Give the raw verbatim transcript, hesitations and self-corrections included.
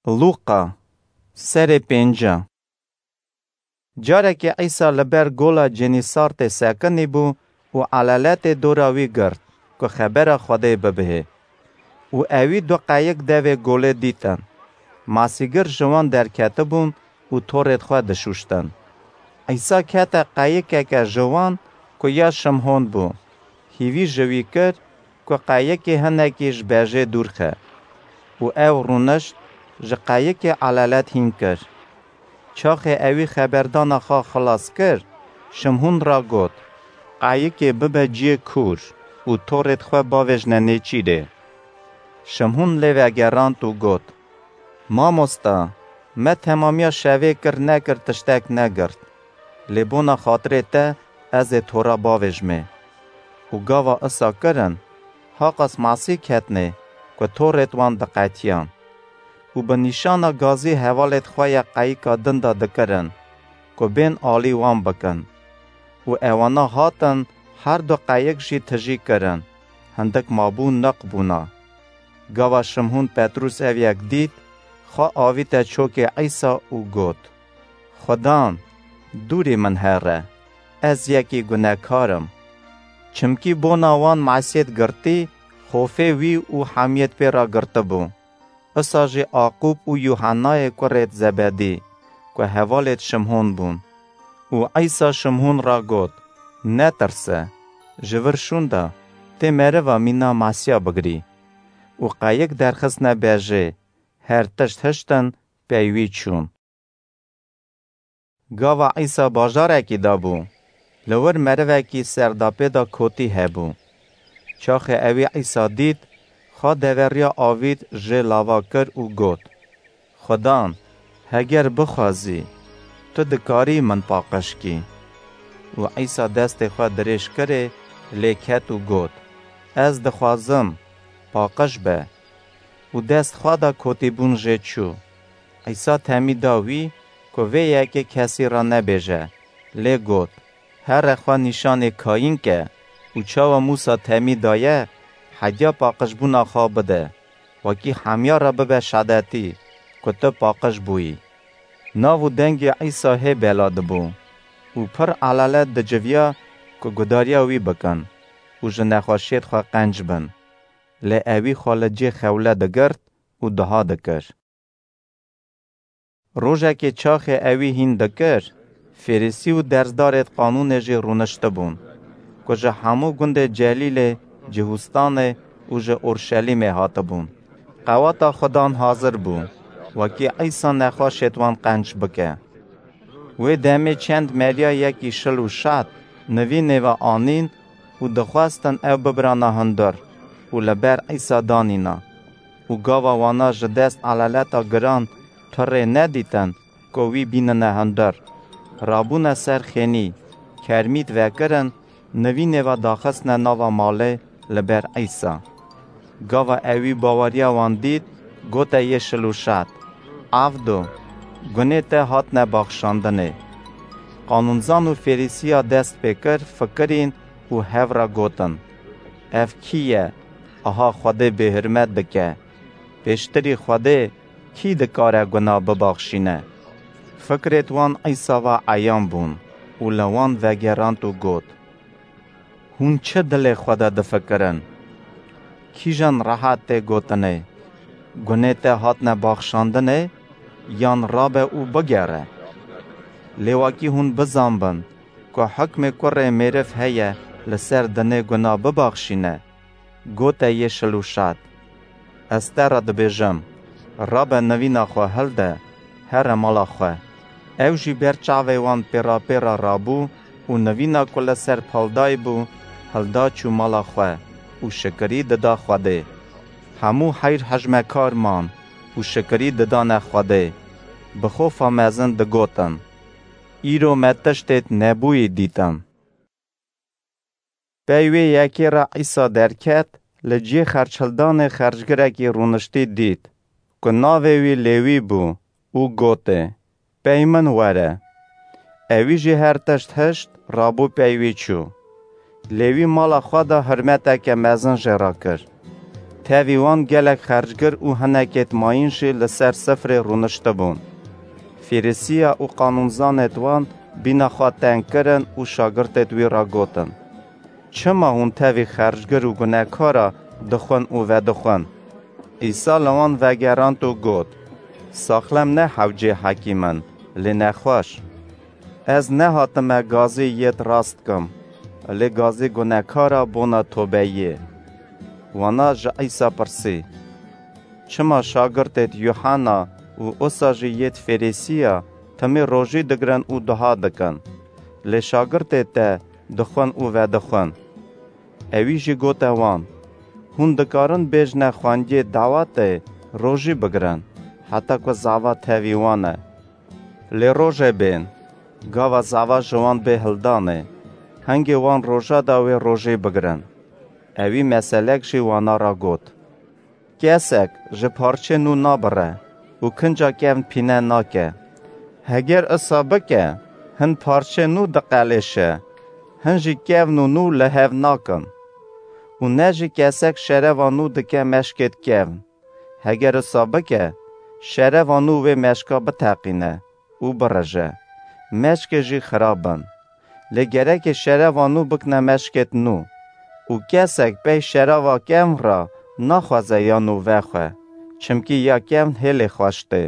Lûqa, serê pênca. Carekê Îsa li ber gola Cenîsartê sekinî bû û elaletê dora wî girt, ku xebera Xwedê bibihê. Û ewî du qeyik devê golê dîtin. Masîgir ji wan derketibûn û torêd xwe dişûştin. Îsa kete qeyikeke ji wan, ku ya Şimhon bû. Hîvî ji wî kir, ku qeyikê hinekî ji bejê dûr xe. Û ew rûnişt, ji qeyikê elalet hîn kir. Çaxê ewî xeberdana xwe xilas kir, Şimhûn ra got, "Qeyikê bibe ciyê kûr û torêd xwe bavêjne nêçîrê." Şimhûn lê vegerand û got, "Mamosta, me temamiya şevê kir nekir tiştek negirt, lê bona xatirê te ez ê tora bavêjmê." Û gava isa kirin, haqas masî ketnê, ku torêd wan diqetiyan. Û bi nîşana gazî hevalêd xwe ya qeyika din de dikirin, ku bên alî wan bikin. Û ewana hatin, her du qeyik jî tijî kirin, hindik mabû niq bûna. Gava Şimhûn Petrûs ev yek dît, xwe avîte çokê Îsa û got, "Xudan, dûrî min here, ez yekî gunekar im." Çimkî bona wan mesiyêd girtî, xofê wî û hemiyêd pê re girtibû. Isa jî Aqûb û Yuhennayê kurêd Zebedî, ku hevalêd Şimhûn bûn. Û Îsa Şimhûn ra got, "Netirse, ji vir şûnda, tê meriva mîna masiya bigirî." Û qeyik derxistine bejê, her tişt hiştin, pey wî çûn. Gava Îsa bajarekî de bû, li wir merivekî serdapê de kotî hebû. Çaxê ewî Îsa dît, xwe deveriya avît jê lava kir û got, "Xudan, heger bixwazî, tu dikarî min paqij kî." Û Îsa destê xwe dirêj kirê, lê ket û got, "Ez dixwazim, paqij be." Û dest xwe da kotîbûn jê çû. Îsa temî da wî, ku vê yekê kesî re nebêje, lê got, "Here xwe nîşanê kayîn ke û çawa Mûsa temî daye, hediya paqijbûna xwe bide, wekî hemiya re bibe şedetî, ku tu paqij bûyî." Nav û dengê Îsa hê bela dibû û pir elalet diciviya, ku gudariya wî bikin û ji nexweşiyêd xwe qenc bin. Lê ewî xwe li cê xewle digirt û diha dikir. Rojekê çaxê ewî hîn dikir, Fêrîsî û dersdarêd qanûnê jî rûniştibûn, ku ji hemû gundê Celîlê, Cihûstanê û ji Orşelîmê hatibûn. Qewata Xudan hazir bû, wekî Îsa nexweşêd wan qenc bike. Wê demê çend meriya yekî şil û şat nivînê ve anîn û dixwestin ew bibrana hundir û li ber Îsa danîna. Û gava wana ji dest elaleta giran tu rê nedîtin, ku wî bînine hundir, rabûne ser xênî, kermît vekirin, nivînê ve daxistine nava malê li ber Îsa. Gava ewî baweriya wan dît, gote yê şil û şat, "Avdo, gunê te hatine baxşandinê." Qanûnzan û Fêrîsiya dest pê kir, fikirîn û hev re gotin, "Ev kî ye, aha Xwedê bêhurmet dike? Pêştirî Xwedê kî dikare guna bibaxşîne?" Fikrêd wan Îsa ve eyan bûn û li wan vegerand û got, "Hûn çi dilê xwe de difikirin? Kîjan rehet tê gotinê, 'Gunê te hatine baxşandinê', yan 'Rabe û bigere'? Lê wekî hûn bizanbin ku hikmê kurê mêriv heye li ser dinê guna bibaxşîne, gote yê şil û şat. Ez te re dibêjim, rabe nivîna xwe hilde, here mala xwe." Ew jî ber çavê wan pêrapêra rabû û nivîna ku li ser paldayî bû, hilda çû mala xwe û şikirî dida Xwedê. Hemû heyr hejmekar man û şikirî didane Xwedê. Bi xofa mezin digotin, "Îro me tiştêd nebûyî dîtin." Pey wê yekê re Îsa derket, li cihê xerçhildanê xercgirekî rûniştî dît, ku navê wî Lêwî bû û gotê, "Pey min were." Ewî jî her tişt hişt, rabû pey wî çû. Lêwî mala xwe de hurmeteke mezin jê re kir. Tevî wan gelek xercgir û hinekêt mayîn jî li ser sifrê rûniştibûn. Fêrisiya û qanûnzanêt wan bîna xwe teng kirin û şagirtêt wî re gotin, "Çima hûn tevî xercgir û gunekara dixwin û vedixwin?" Îsa li wan vegerand û got, "Saxlem ne hewcê hekîm in, lê nexweş. Ez nehatime gazî yêt rast kim, lê gazî gunekara bona tobeyê." Wana ji Îsa pirsî, "Çima şagirtêt Yuhanna û usa jî yêt Fêrisiya timî rojî digirin û duha dikin, lê şagirtêt te dixwin û vedixwin?" Ewî jî gote wan, "Hûn dikarin bêjne xwendiyê dawetê rojî bigirin, heta ku zava tevî wan e. Lê rojê bên, gava zava ji wan bê hildanê, hingê wan roja da wê rojê bigirin." Ewî meselek jî wana ra got, "Kesek ji parçê nû nabire û kinca kevn pîne nake. Heger isa bike, hin parçê nû diqelêşe, hin jî kevn û nû li hev nakin. Û ne jî kesek şereva nû dike meşkêt kevn. Heger isa bike, şereva nû wê meşka biteqîne û birije. Meşkê jî xirab bin. Lê gerekê şereva nû bikine meşkêt nû. Û kesek pey şereva kevn re naxwaze ya nû vexwe, çimkî ya kevn hêlê xweş tê,